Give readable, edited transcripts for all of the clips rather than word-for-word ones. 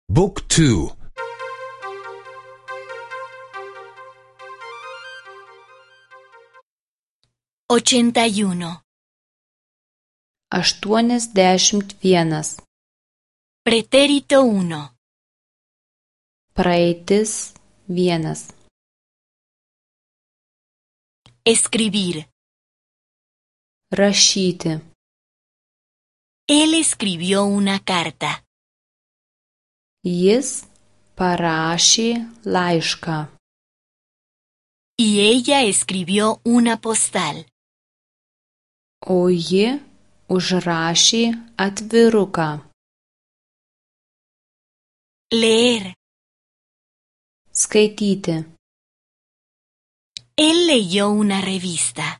Book 2. 81. 81. Pretérito 1. Praeitis 1. Escribir. Rašyti. Él escribió una carta. Jis parašė laišką. Y ella escribió una postal. O ji užrašė atviruką. Leer. Skaityti. Él leyó una revista.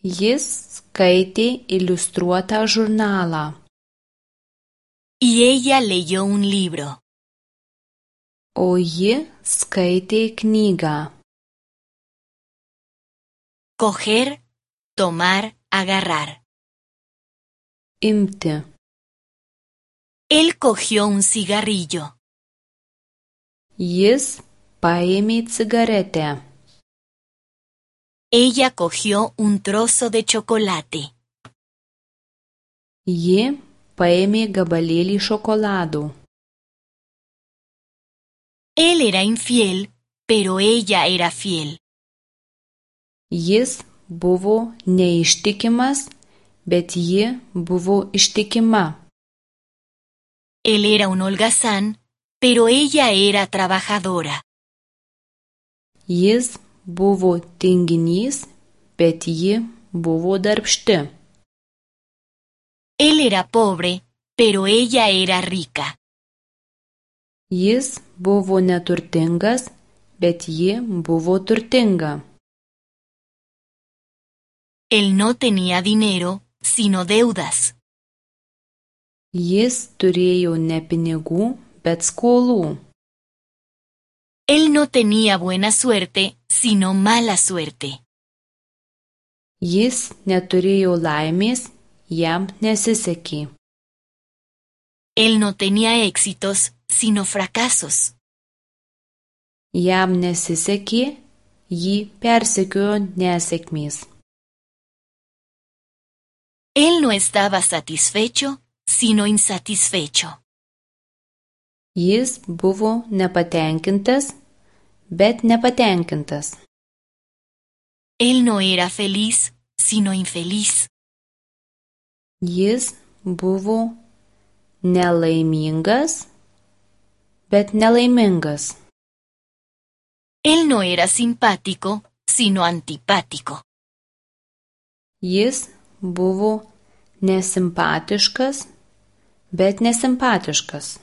Jis skaitė iliustruotą žurnalą. Y ella leyó un libro. O ji skaitė knygą. Coger, tomar, agarrar. Imti. Él cogió un cigarrillo. Jis paėmė cigaretę. Ella cogió un trozo de chocolate. Ji paėmė gabalėlį šokolado. Él era infiel, pero ella era fiel. Jis buvo neištikimas, bet ji buvo ištikima. Él era un holgazán, pero ella era trabajadora. Jis buvo tinginys, bet ji buvo darbšti. Él era pobre, pero ella era rica. Jis buvo neturtingas, bet ji buvo turtinga. Él no tenía dinero, sino deudas. Jis turėjo ne pinigų, bet skolų. Él no tenía buena suerte, sino mala suerte. Jis neturėjo laimės, jam nesisekė. Él no tenía éxitos, sino fracasos. Jam nesisekė, jį persekiojo nesėkmės. Él no estaba satisfecho, sino insatisfecho. Jis buvo nepatenkintas, bet nepatenkintas. Él no era feliz, sino infeliz. Jis buvo nelaimingas, bet nelaimingas. Él no era simpático, sino antipático. Jis buvo nesimpatiškas, bet nesimpatiškas.